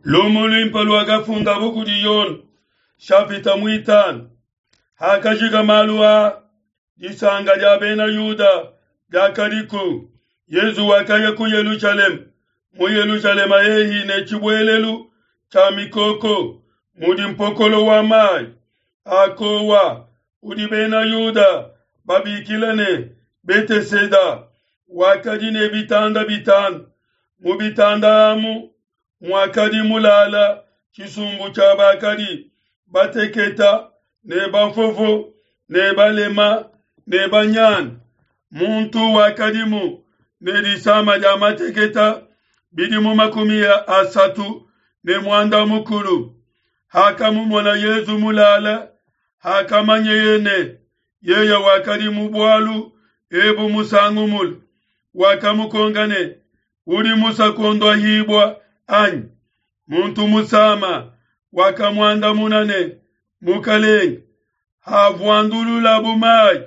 Lumu luimpe luakafundabo kudi Yone, shapita muitanu. Hakajika malu aa, disanka dia Bena Yuda diakadiku. Yezu wakaya ku Yelushalema. Mu Yelushalema hehi ne tshibuelelu tshia mikoko mudi mpokolo wa mayi a kowa udi Bena Yuda babikila ne, Beteseda, wakadi ne bitanda bitanu. Mu bitanda amu muakadi mulala tshisumbu tshia bakadi bateketa ne bafofo ne balema ne banyana. Muntu wakadimu ne disama dia mateketa bidimu 35. Hakamumona Yezu mulala, hakamanyeye ne yeye wakadi mu bualu ebu musangu mule, wakamukonka ne, Udi musue kuondohibua anyi? Muntu musama wakamuandamuna ne, Mukalenge, havuandululabu mayi,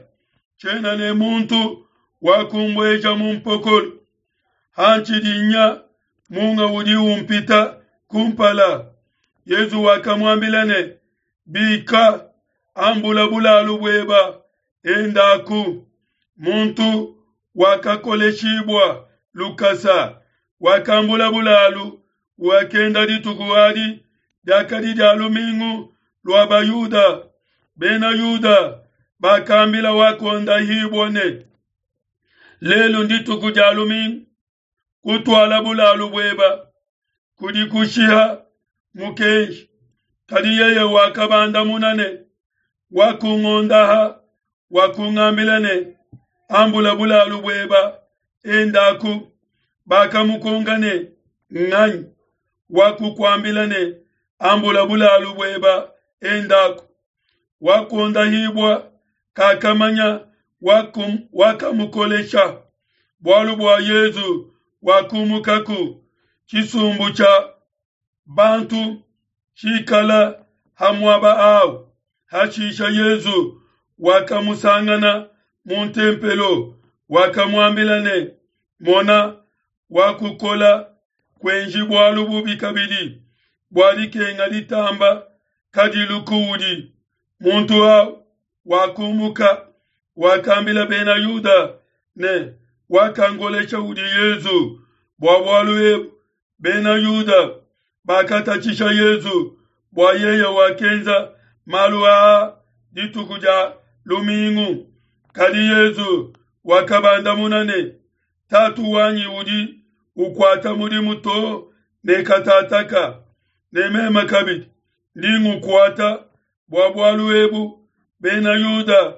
tshiena ne muntu wa kumbueja mu mpokolo. Hantshidi nya, munga udi umpita kumpala. Yezu wakamuambila ne, Bika, ambula bulalu bueba, endaku. Muntu wakakoleshibua lukasa, wakambula bulalu, wakenda. Dituku adi diakadi dia lumingu lua Bayuda. Bena Yuda bakambila wakondahibua ne, Lelu ndituku dia lumingu, kutuala bulalu bueba kudi kushiha mukenji. Kadi yeye wakabandamuna ne, Wakungondaha wakungambila ne, Ambula bulalu bueba, endaku. Bakamukonka ne, Nganyi wakukuambila ne, Ambula bulalu bueba, endaku? Wakuondahibua kakamanya wakamukolesha, bualu bua Yezu wakumukaku tshisumbu tshia bantu tshikala ha muaba awu. Hashisha Yezu wakamusangana mu ntempelo, wakamuambila ne, Mona, wakukola, kuenji bualu bubi kabidi, bua dikenga ditamba kadilu kuudi. Muntu au wakumuka, wakambila Bena Yuda ne, Wakangolesha udi Yezu. Bua bualu ebu Bena Yuda bakatatshisha Yezu bua yeye wakenza malu aa dituku dia lumingu. Kadi Yezu wakabandamuna ne, Tatu wanyi udi ukuata mudimu too ne katataka, ne meme kabidi ndi ngukuata. Bua bualu ebu Bena Yuda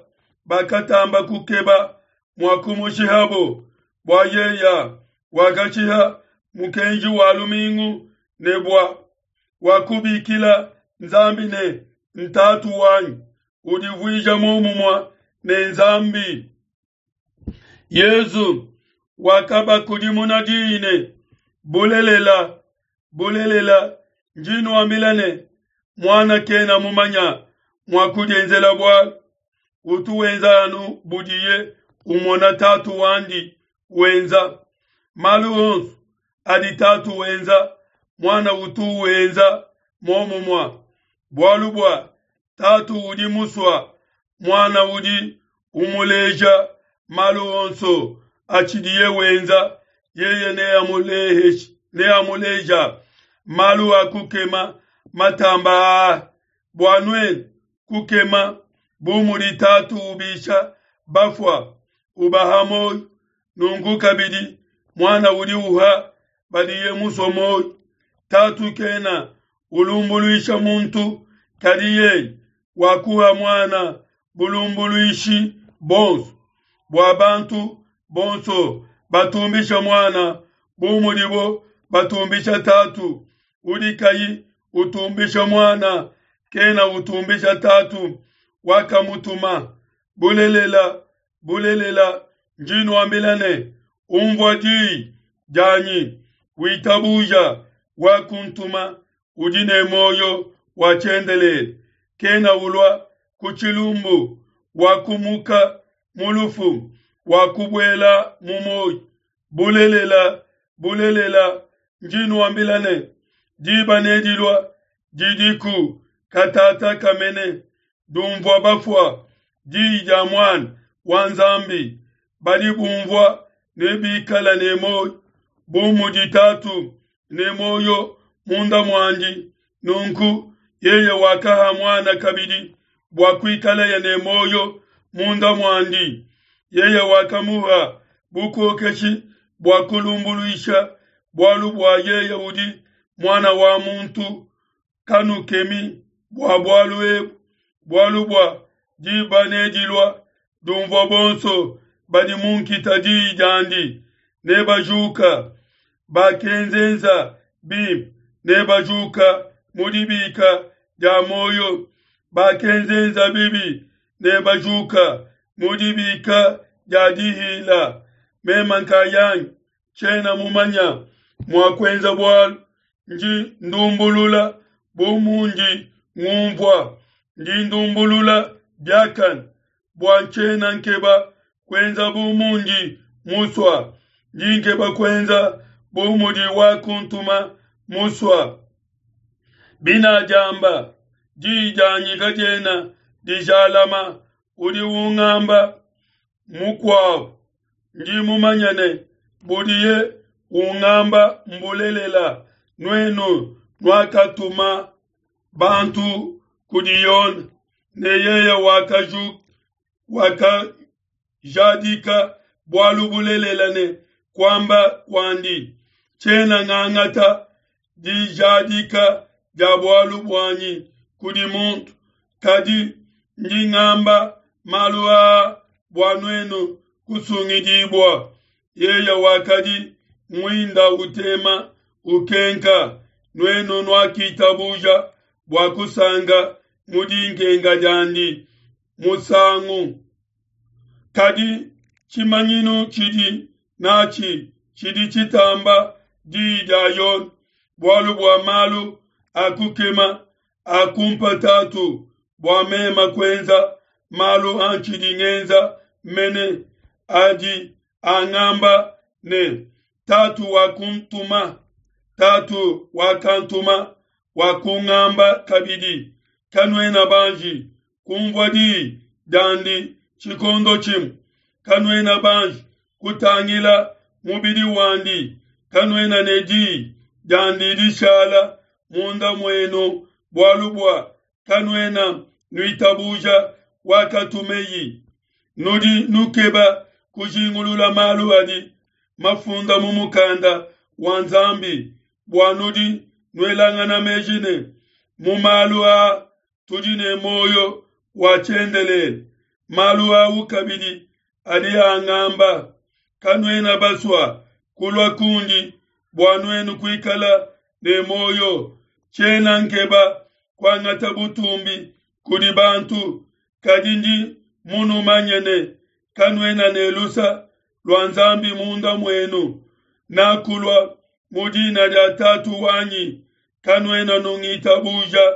bakatamba kukeba mua kumushihabo, bua yeya wakashiha mukenji wa lumingu ne bua wakubikila Nzambi ne, Ntatu wanyi, udivuija muomumue ne Nzambi. Yezu wakabakudimuna diyi ne, Bulelela, bulelela, ndi nuambila ne, Muana kena mumanya mua kudienzela bualu, utu wenza anu budiye umona Tatu wandi wenza. Malu onso adi Tatu wenza, Muana utu wenza muomumue. Bualu bua Tatu udi musua Muana udi umuleja malu onso atshidiye wenza, yeye neamuleja malu a kukema matamba aa, bua nuenu kukema. Bu mudi Tatu ubisha bafua, ubaha muoyo, nunku kabidi Muana udi uha badiye musue muoyo. Tatu kena ulumbuluisha muntu, kadi yeye wakuha Muana bulumbuluishi bonso, bua bantu bonso batumbisha Muana bu mudibo batumbisha Tatu. Udi kayi utumbisha Muana kena utumbisha Tatu wakamutuma. Bulelela, bulelela, ndi nuambila ne, umvua diyi dianyi, witabuja wakuntuma, udi ne muoyo wa tshiendelele, kena ulua ku tshilumbu, wakumuka mu lufu, wakubuela mu muoyo. Bulelela, bulelela, ndi nuambila ne, Diba nedilua didiku katataka mene, dumvua bafua diyi dia Muana wa Nzambi, badi bumvua nebikale ne muoyo, bu mudi Tatu ne muoyo munda muandi, nunku yeye wakaha Muana kabidi bua kuikaleye ne muoyo munda muandi. Yeye wakamuha bukokeshi bua kulumbuluisha, bualu bua yeye udi Muana wa muntu. Kanukemi bua bualu ebu, bualu bua diba nedilua dumvua bonso badi mu nkita diyi diandi, nebajuka bakenzenza bimpe, nebajuka mu dibika dia muoyo, bakenzenza bibi, nebajuka mu dibika dia dihila. Meme nkayanyi tshiena mumanya mua kuenza bualu, ndi ndumbulula bu mundi ngumvua, ndi ndumbulula biakane, bua ntshiena nkeba kuenza bu mundi musua, ndi nkeba kuenza bu mudi wakuntuma musua. Binadiamba, diyi dianyi kadiena dijalama, udi ungamba mukuabu, ndi mumanye ne budiye ungamba mbulelela. Nuenu nuakatuma bantu kudi Yone, ne yeye wakajadika bualu bulelela ne kuamba kuandi, tshiena ngangata dijadika dia bualu buanyi kudi muntu, kadi ndi ngamba malu aa bua nuenu kusungidibua. Yeye wakadi muinda utema ukenka, nuenu nuakitabuja bua kusanka mu dinkenka diandi musangu. Kadi tshimanyinu tshidi natshi tshidi tshitamba diyi dia Yone, bualu bua malu a kukema akumpa Tatu bua mema kuenza malu antshidi ngenza mene, adi angamba ne, Tatu wakuntuma, Tatu wakantuma wakungamba kabidi, kanuena banji kumvua diyi diandi tshikondo tshimue, kanuena banji kutangila mubidi wandi, kanuena ne diyi diandi dishala munda muenu, bualu bua kanuena nuitabuja wakatumeyi. Nudi nukeba kujingulula malu adi mafunda mu mukanda wa Nzambi, bua nudi nuelangana meji ne, mu malu aa tudi ne muoyo wa tshiendelele. Malu au kabidi adi angamba, kanuena basua kulua kundi bua nuenu kuikala ne muoyo. Tshiena nkeba kuangata butumbi kudi bantu, kadi ndi munumanye ne kanuena ne lusa lua Nzambi munda muenu. Nakulua mu dina dia Tatu wanyi, kanuena nungitabuja.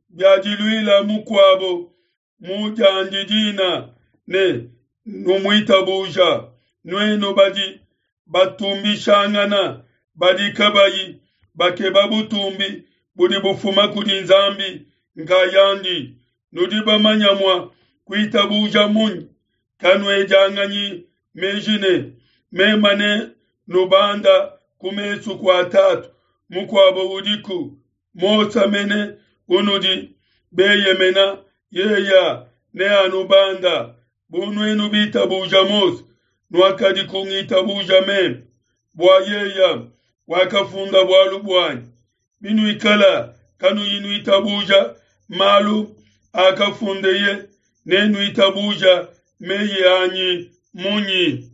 Biadiluila mukuabo mu diandi dina ne numuitabuja, nuenu badi batumbishangana, badi kabayi bakeba butumbi budi bufuma kudi Nzambi nkayandi, nudi bamanya mua kuitabuja munyi? Kanuedianganyi meji ne, mema ne nubanda ku mesu kua Tatu, mukuabo udiku, Mose mene unudi beyemena, yeya neanubanda. Bu nuenu bitabuja Mose, nuakadi kungitabuja meme, bua yeya wakafunda bualu buanyi. Binuikala kanuyi nuitabuja malu akafundeye, nenuitabuja meyi anyi munyi?